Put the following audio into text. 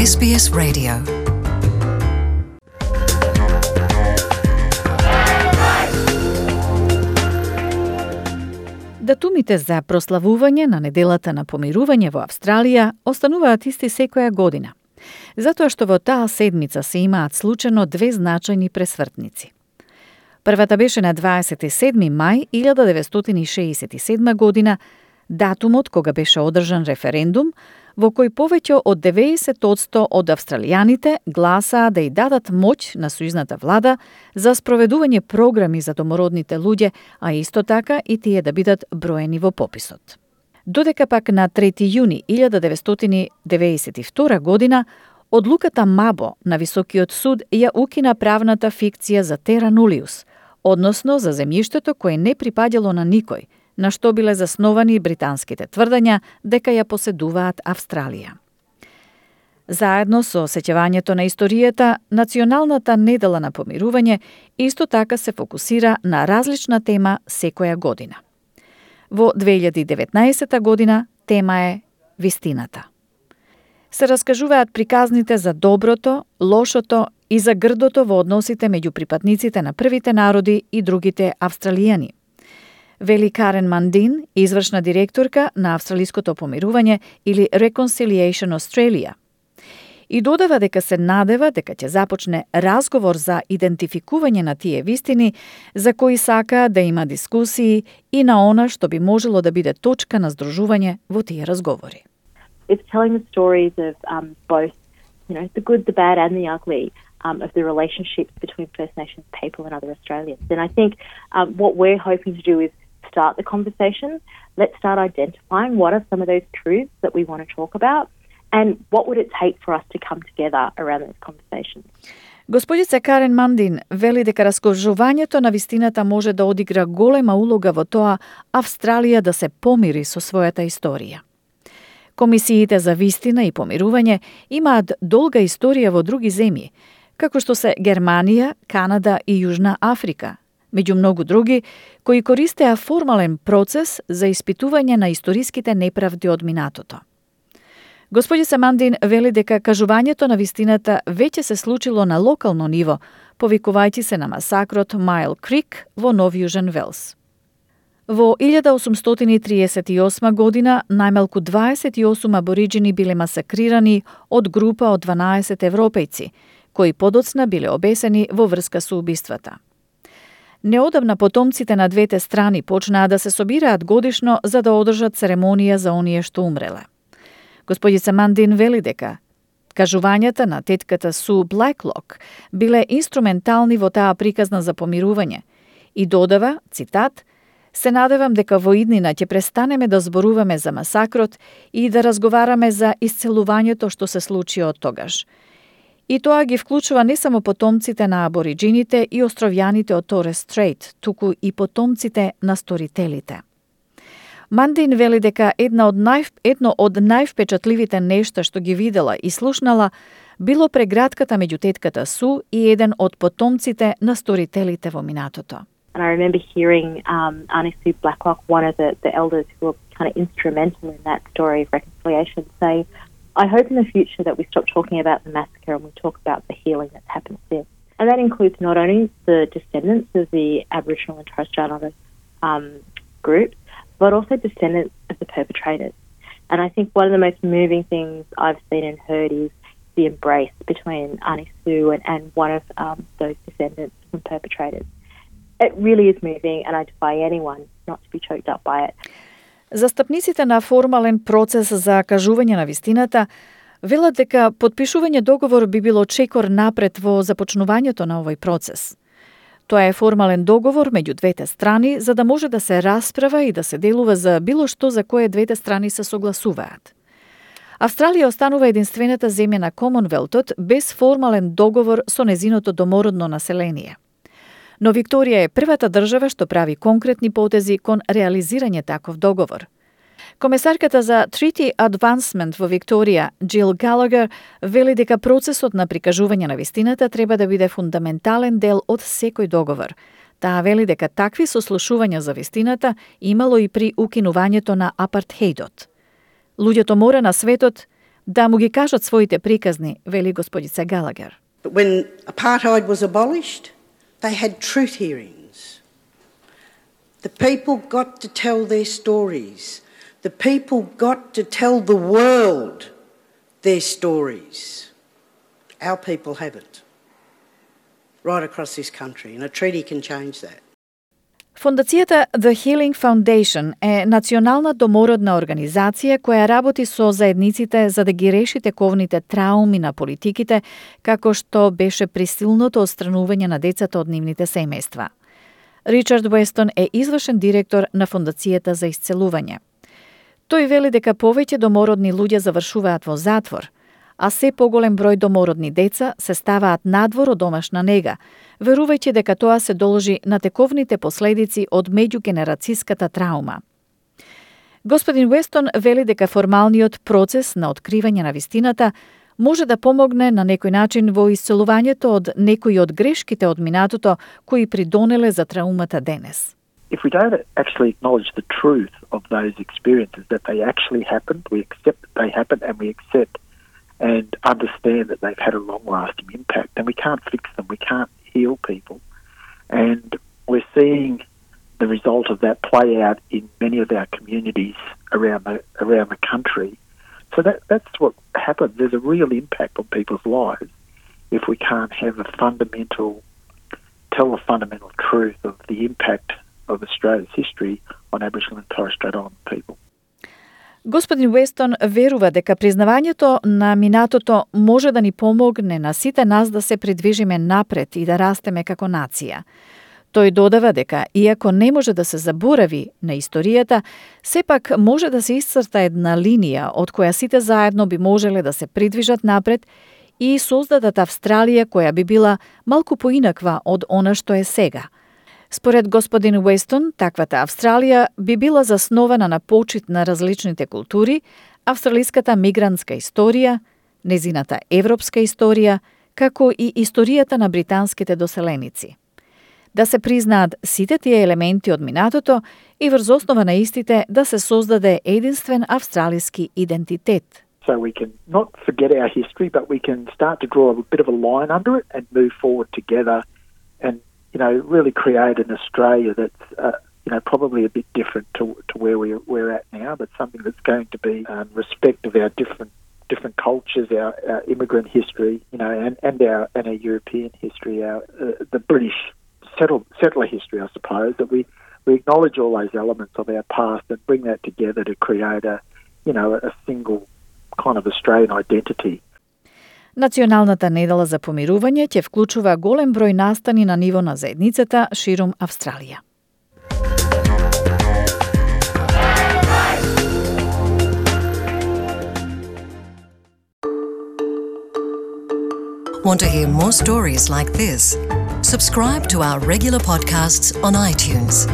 SBS Radio. Датумите за прославување на неделата на помирување во Австралија остануваат исти секоја година, затоа што во таа седмица се имаат случајно две значајни пресвртници. Првата беше на 27. мај 1967 година, датумот кога беше одржан референдум, во кој повеќе од 90% од австралијаните гласаа да ја дадат моќ на сојузната влада за спроведување програми за домородните луѓе, а исто така и тие да бидат броени во пописот. Додека пак на 3. јуни 1992 година, одлуката Мабо на Високиот суд ја укина правната фикција за тера нулиус, односно за земјиштето кое не припаѓало на никој, на што биле засновани британските тврдења дека ја поседуваат Австралија. Заедно со сеќавањето на историјата, Националната недела на помирување исто така се фокусира на различна тема секоја година. Во 2019 година тема е вистината. Се раскажуваат приказните за доброто, лошото и за грдото во односите меѓу припадниците на првите народи и другите австралијани, вели Карен Мандин, извршна директорка на Австралиското помирување или Reconciliation Australia. И додава дека се надева дека ќе започне разговор за идентификување на тие вистини за кои сака да има дискусии и на она што би можело да биде точка на здружување во тие разговори. It's telling the stories of both, the good, the bad and the ugly of the relationships between First Nations people and other Australians. And I think what we're hoping to do is start the conversation. Let's start identifying what are some of those truths that we want to talk about and what would it take for us to come together around those conversations. Господица Карен Мандин вели дека раскажувањето на вистината може да одигра голема улога во тоа Австралија да се помири со својата историја. Комисиите за вистина и помирување имаат долга историја во други земји, како што се Германија, Канада и Јужна Африка, меѓу многу други, кои користеа формален процес за испитување на историските неправди од минатото. Господица Мандин вели дека кажувањето на вистината веќе се случило на локално ниво, повикувајќи се на масакрот Майл Крик во Нов Јужен Велс. Во 1838 година најмалку 28 абориџини биле масакрирани од група од 12 европејци, кои подоцна биле обесени во врска со убиствата. Неодамна потомците на двете страни почнаа да се собираат годишно за да одржат церемонија за оние што умреле. Господица Мандин вели дека кажувањата на тетката Су Блаклок биле инструментални во таа приказна за помирување и додава, цитат, "Се надевам дека во иднина ќе престанеме да зборуваме за масакрот и да разговараме за исцелувањето што се случи од тогаш. И тоа ги вклучува не само потомците на абориџините и островјаните од Торес Стрейт, туку и потомците на сторителите." Мандин вели дека едно од највпечатливите нешта што ги видела и слушнала било прегратката меѓу тетката Су и еден од потомците на сторителите во минатото. And I remember hearing Auntie Sue Blacklock, one of the elders who were kind of instrumental in that story of reconciliation, say, "I hope in the future that we stop talking about the massacre and we talk about the healing that's happened since." And that includes not only the descendants of the Aboriginal and Torres Strait Islander groups, but also descendants of the perpetrators. And I think one of the most moving things I've seen and heard is the embrace between Auntie Sue and one of those descendants from perpetrators. It really is moving, and I defy anyone not to be choked up by it. Застапниците на формален процес за кажување на вистината велат дека потпишување договор би било чекор напред во започнувањето на овој процес. Тоа е формален договор меѓу двете страни за да може да се расправа и да се делува за било што за кое двете страни се согласуваат. Австралија останува единствената земја на Комонвелтот без формален договор со незиното домородно население. Но Викторија е првата држава што прави конкретни потези кон реализирање таков договор. Комесарката за Treaty Advancement во Викторија, Джил Галагер, вели дека процесот на прикажување на вистината треба да биде фундаментален дел од секој договор. Таа вели дека такви сослушувања за вистината имало и при укинувањето на апартхеидот. Луѓето мора на светот да му ги кажат своите приказни, вели господица Галагер. But when apartheid was abolished, they had truth hearings. The people got to tell their stories. The people got to tell the world their stories. Our people haven't. Right across this country, and a treaty can change that. Фондацијата The Healing Foundation е национална домородна организација која работи со заедниците за да ги реши тековните трауми на политиките, како што беше присилното отстранување на децата од нивните семејства. Ричард Уестон е извршен директор на Фондацијата за исцелување. Тој вели дека повеќе домородни луѓе завршуваат во затвор, а се поголем број домородни деца се ставаат надвор од домашна нега, верувајќи дека тоа се должи на тековните последици од меѓугенерацијската траума. Господин Уестон вели дека формалниот процес на откривање на вистината може да помогне на некој начин во исцелувањето од некои од грешките од минатото кои придонеле за траумата денес. If we don't actually acknowledge the truth of those experiences, that they actually happened, we accept that they happened, and we accept and understand that they've had a long-lasting impact, then we can't fix them, we can't heal people. And we're seeing the result of that play out in many of our communities around the country. So that's what happens. There's a real impact on people's lives if we can't tell the fundamental truth of the impact of Australia's history on Aboriginal and Torres Strait Islander people. Господин Уестон верува дека признавањето на минатото може да ни помогне на сите нас да се придвижиме напред и да растеме како нација. Тој додава дека, иако не може да се заборави на историјата, сепак може да се исцрта една линија од која сите заедно би можеле да се придвижат напред и создадат Австралија која би била малку поинаква од она што е сега. Според господин Уестон, таквата Австралија би била заснована на почит на различните култури, австралиската мигрантска историја, незината европска историја, како и историјата на британските доселеници. Да се признаат сите тие елементи од минатото и врз основа на истите да се создаде единствен австралиски идентитет. So we can not forget our history, but we can start to draw a bit of a line under it and move forward together and really create an Australia that's, probably a bit different to where we're at now, but something that's going to be respect of our different cultures, our immigrant history, and our European history, the British settler history, I suppose, that we acknowledge all those elements of our past and bring that together to create a single kind of Australian identity. Националната недела за помирување ќе вклучува голем број настани на ниво на заедницата ширум Австралија. Want to hear more stories like this? Subscribe to our regular podcasts on iTunes.